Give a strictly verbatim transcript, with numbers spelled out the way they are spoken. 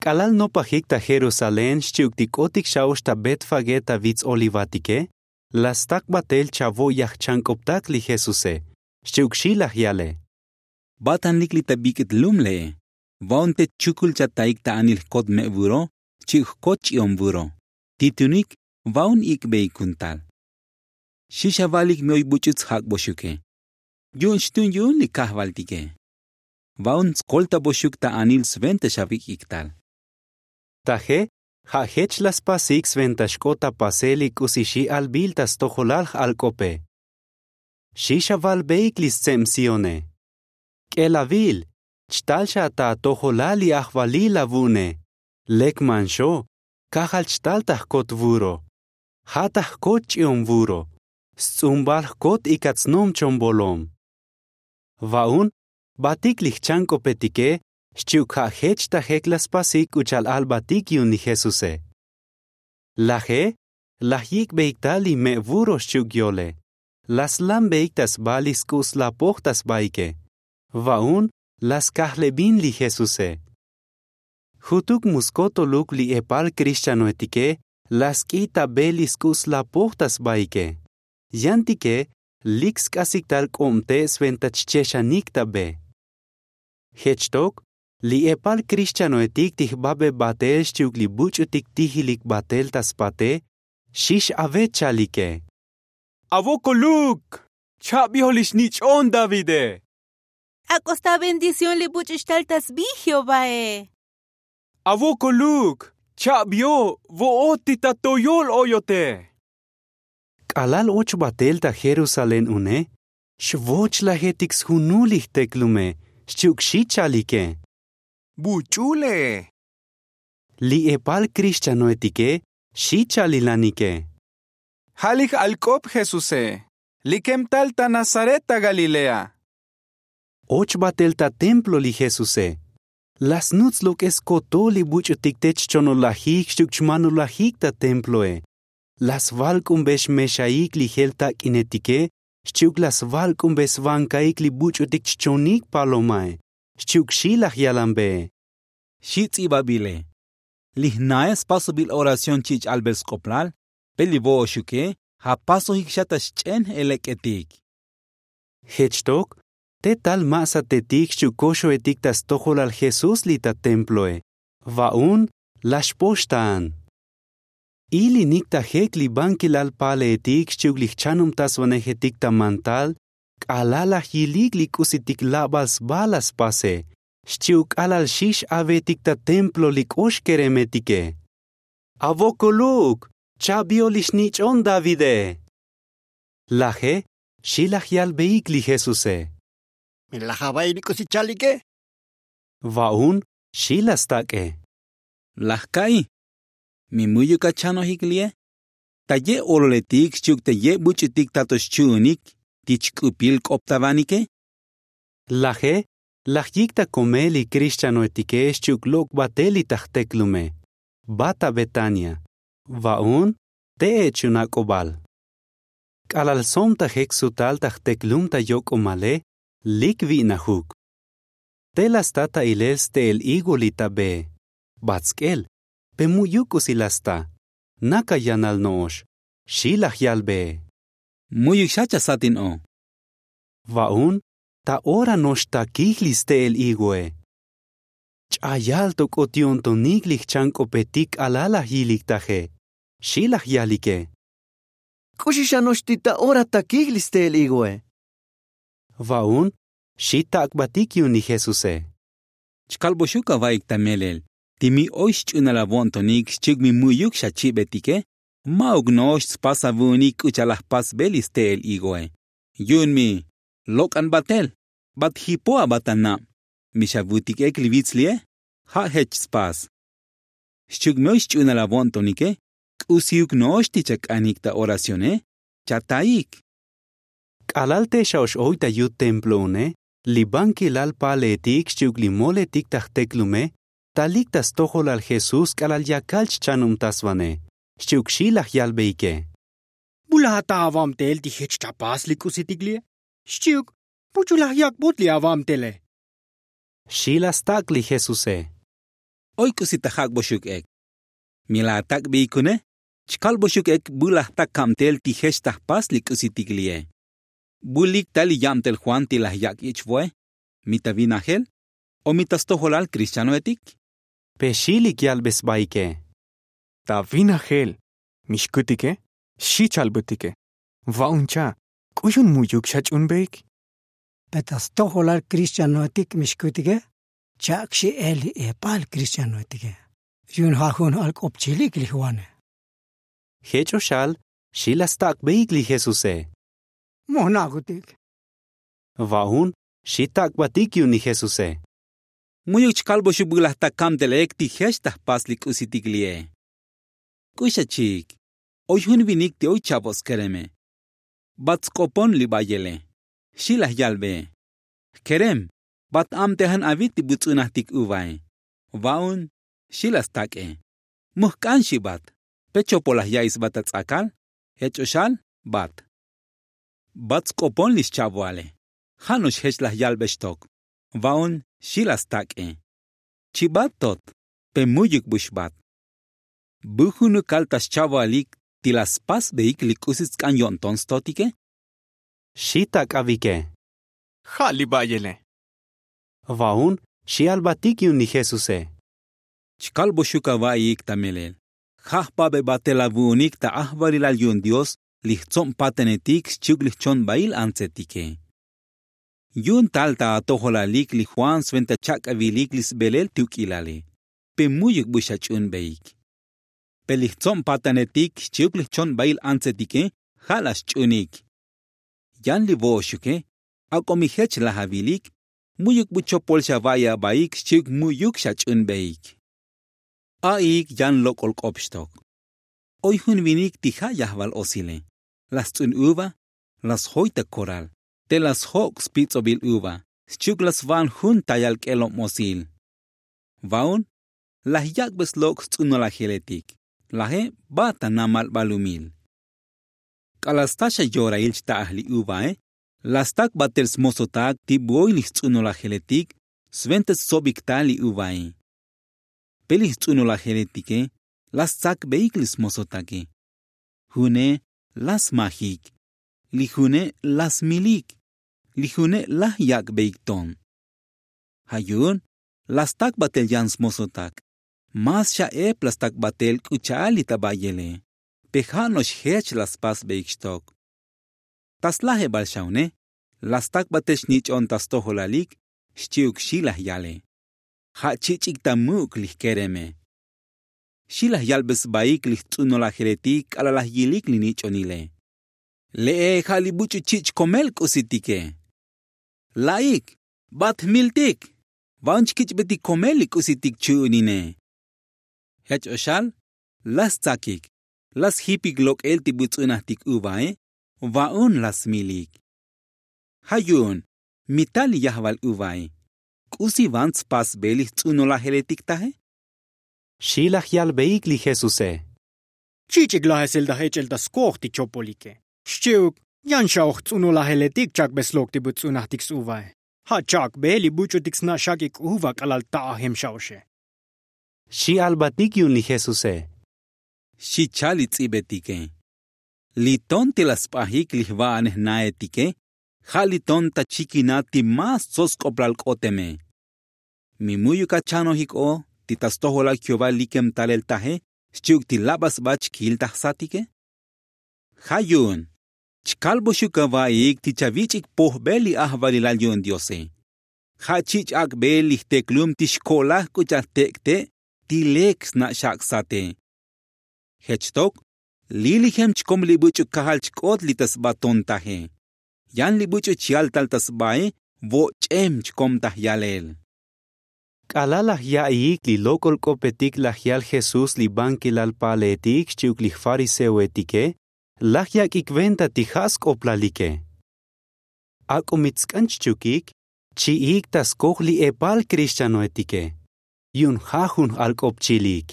K'alal nopajik ta jerusalén xchi'uk ti k'otik xa'ox ta betfagé ta vits olivatike, la stak batel chavo' yajchank'optak li jesuse. Xchi'uk xi laj yale. Ba'tanlik li ta bik'it lum le'e. Va'un te chukul chataik ta anil jkot me' vuro xchi'uk jkot ch'i'om vuro. Ti tunik va'un ik'beik kuntal. Xi xavalik mi oy buch'u tsjak'boxuke. Yu'un xtu'un yu'un li kajvaltike. Va'un tskoltaboxuk ta anil sventa xavik'ik tal. Taje ja' jech la spasik sventa xk'ot ta pasel li k'usi xi albil ta stojolal j'alk'ope. Xi xavalbeik li stseb sione. K'elavil, chtal xa ta atojolal li ajvalil avu'une. Lek manxo, kajal chtal ta jkot vuro. Ja' ta jkot ch'i'om vuro. Sts'umbal jkot ikat snom chombolom. Va'un batik li jchank'opetike xchi'uk ja' jech ta jek la spasik k'u cha'al albatik yu'un li jesuse. Laje laj yik'beik tal li me' vuro xchi'uk yole. La slambeik ta sba li sk'u' slapoj ta sbaike. Va'un la skajlebin li jesuse. Jutuk mu skotoluk li epal krixchanoetike la sk'i ta be li sk'u' slapoj ta sbaike. Yantike lik sk'asik tal k'ob te' sventa chchexanik ta be. Jech tok li epal krixchanoetik ti jbabe batel xchi'uk li buch'utik tijilik batel ta spate xi x'avet chalike. Avokoluk, cha'bio li xnich'on davide. Ak'o sta bendición li buch'u xtal ta sbi jehovae. Avokoluk, cha'bio vo'ot ti ta toyol oyote. K'alal och batel ta jerusalén une xvochlajetik sjunul li jteklume xchi'uk xi chalike. Buch'u le'e. Li epal krixchanoetike xi chalilanike. Ja' li j'alk'op jesuse, li kem tal ta nazaret ta galilea. Och batel ta templo li jesuse. La snuts lok'es kotol li buch'utik te chchonolajik xchi'uk chmanolajik ta temploe. La svalk'unbe xmexaik li jel tak'inetike xchi'uk la svalk'unbe svankaik li buch'utik chchonik palomae xchi'uk xi laj yalanbee. Xi ts'ibabile. Li jnae spasobil oración chi' ch'albel sk'oplal. Pe li vo'oxuke ja' pasojik xa ta xch'en j'elek'etik. Jech tok te tal ma' satetik xchi'uk koxoetik ta stojolal jesús li ta temploe. Va'un la xpox ta an. Ilinik ta jek li bankilal paleetik xchi'uk li jchanubtasvanejetik ta mantal k'alal laj yilik li k'usitik labal sba la spase xchi'uk k'alal xi x'avetik ta templo li k'ox keremetike. Avokoluk, cha'bio li xnich'on davide. Laje xi laj yalbeik li jesuse. Mi laj ava'i li k'usi chalike? Va'un xi la stak'e. Laj ka'i, mi mu'yuk achanojik li'e? Ta ye' ololetik xchi'uk ta ye' buch'utik ta to xchu'unik ti chk'upil k'optavanike. Laje laj yik ta komel li krixchanoetike xchi'uk lok' batel li ta jteklume. Bat ta betania. Va'un te' ech' yu'un ak'obal. K'alal som ta jek sutal ta jteklum ta yok'omale lik vi'najuk. Te la sta ta ilel ste'el higo li ta bee. Bat sk'el pe mu'yuk k'usi la sta. Naka yanal no'ox xi laj yalbee. Mu'yuk xa chasatin o. Va'un ta ora no'ox takij li ste'el higoe. Ch'ayal to k'ot yo'ntonik li jchank'opetik k'alal laj yilik taje. Xi laj yalike. K'uxi xa no'ox ti ta ora takij li ste'el higoe. Va'un xi tak'batik yu'un li jesuse. Chkalboxuk ava'ik ta melel ti mi oy xch'unal avo'ntonik xchi'uk mi mu'yuk xachibetike. Ma'uk no'ox tspas avu'unik k'u cha'al laj pasbe li ste'el higoe. Yu'un mi lok'an batel bat jipo aba ta nab. Mi xavutik ek li vits li'e ja' jech tspas. Xchi'uk mi oy xch'unal avo'ntonike k'usiuk no'ox ti chak'anik ta oracione. Chataik. K'alal te xa'ox oy ta yut templo une li bankilal paleetik xchi'uk li moletik ta jteklume talik ta stojolal jesús k'alal yakal chchanubtasvane xchi'uk xi laj yalbeike. Mu laj ata avamtel ti jech chapas li k'usitik li'e? Xchi'uk muchuk laj yak'bot li avamtele. Xi laj stak' li jesuse. Oy k'usi ta jak'boxuk ek. Mi laj atak'beyik une, chkalboxuk ek bu laj ta kabtel ti jech ta jpas li k'usitik li'e. Bu lik ta li yabtel juan ti laj yak' ich vo'e? Mi ta vinajel? O mi ta stojolal krixtianoetik? Pe xi lik yalbe sbaike. Ta vinajel. Mi xkutike xi chalbutike. Va'un cha', k'uxun mu'yuk xach'unbeik? Pe ta stojolal krixtianoetik mi xkutike. Chak' xi el li epal krixtianoetike. Yu'un ja' jun alk'op chilik li juane. Jech o xal xi laj stak'beik li jesuse. Moj na'jutik. Va'un xi tak'batik yu'un li jesuse. Mu'yuk chkalboxuk bu laj ta kabtel ek ti jech ta jpas li k'usitik li'e. K'uxa chiik. Oy jun vinik ti oy cha'bo' skereme. Bat sk'opon li ba'yele. Xi laj yalbe. Jkerem, bat abtejan avit ti buts'unajtik uvae. Va'un xi laj stak'e. Mujk'an xi bat. Pe chopol laj ya'i sba ta ts'akal? Jech o xal bat. Bat sk'opon li xcha'boale. Ja' no'ox jech laj yalbe xtok. Va'un xi laj stak'e. Chibat tot. Pe mu'yuk bu xbat. Bu junukal ta xcha'boalik ti laj spasbeik li k'usi tsk'an yo'nton stotike? Xi tak'avike. Ja' li ba'yele. Va'un xi albatik yu'un li jesuse. Chkalboxuk ava'iik ta melel. Ja' jpabe batel avu'unik ta ajvalilal yu'un dios li jtsob patanetik xchi'uk li jchonbail antsetike. Yu'un tal ta atojolalik li juan sventa chak'avilik li sbelel ti uk'ilale. Pe mu'yuk bu xach'unbeik. Pe li jtsob patanetik xchi'uk li jchonbail antsetike ja' laj xch'unik. Yan li vo'oxuke. Ak'o mi jech laj avilik. Mu'yuk bu chopol xava'i abaik xchi'uk mu'yuk xach'unbeik. A'iik yan lok'ol k'op xtok. Oy jun vinik ti ja' yajval osile. Laj sts'un uva. Laj sjoy ta koral. Te laj sjok' spits'obil uva. Xchi'uk laj sva'an jun tayal k'elob osil. Va'un laj yak'be slok' sts'unolajeletik. Laje ba ta namal balumil. K'alal sta xa yorail xta'aj li uvae. Laj stak' batel smosotak ti bu oy li jts'unolajeletik sventa stsobik ta li uvae. Pe li jts'unolajeletike laj stsakbeik li smosotake. June laj smajik. Li june laj smilik. Li june laj yak'beik ton. Ja' yu'un laj stak' batel yan smosotak. Mas xa ep laj stak' batel k'u cha'al li ta ba'yele. Pe ja' no'ox jech laj spasbeik xtok. Ta slajebal xa une laj stak' batel xnich'on ta stojolalik. Xchi'uk xi laj yale. Ja' chich'ik ta muk' li jkereme. Xi laj yalbe sbaik li jts'unolajeletik k'alal laj yilik li nich'onile. Le'e ja' li buch'u chich' komel k'usitike. La'ik, bat jmiltik. Va'un chkich'betik komel li k'usitik chu'unine. Jech o xal laj stsakik. Laj sjipik lok'el ti buts'unajtik uvae. Va'un laj smilik. Ja' yu'un mi ta li yajval uvae. K'usi van tspasbe li jts'unolajeletik taje? Xi laj yalbeik li jesuse. Chich'ik lajesel ta jech'el ta skoj ti chopolike. Xchi'uk yan xa oj jts'unolajeletik chak'be slok' ti buts'unajtik suvae. Ja' chak'be li buch'utik sna' xak'ik uva k'alal ta'ajem xa oxe. Xi albatik yu'un li jesuse. Xi chal li ts'ibetike. Li ton ti laj sp'ajik li jva'anej naetike. Ja' li ton ta chikinat ti más tsots sk'oplal k'oteme. Mi mu'yuk achanojik o ti ta stojolal jehová likem talel taje xchi'uk ti laba sba chkil ta jsatike? Ja' yu'un chkalboxuk ava'iik ti chavich'ik pojbel li ajvalilal yu'un diose. Ja' chich' ak'bel li jteklum ti xko'laj k'u cha'al jtek'te' ti lek sna' xak' sate. Jech tok lilijem chkom li buch'u kajal chk'ot li ta sba ton taje. Yan li buch'u chal tal ta sbae. Voch'em chkom ta jyalel. K'alal laj ya'iik li lok'ol k'opetik laj yal jesús li bankilal paleetik xchi'uk li jfariseoetike. Laj yak'ik venta ti ja' sk'oplalike. Ak'o mi tsk'an chchukik chi'ik ta skoj li epal krixtianoetike. Yu'un ja' jun j'alk'op chilik.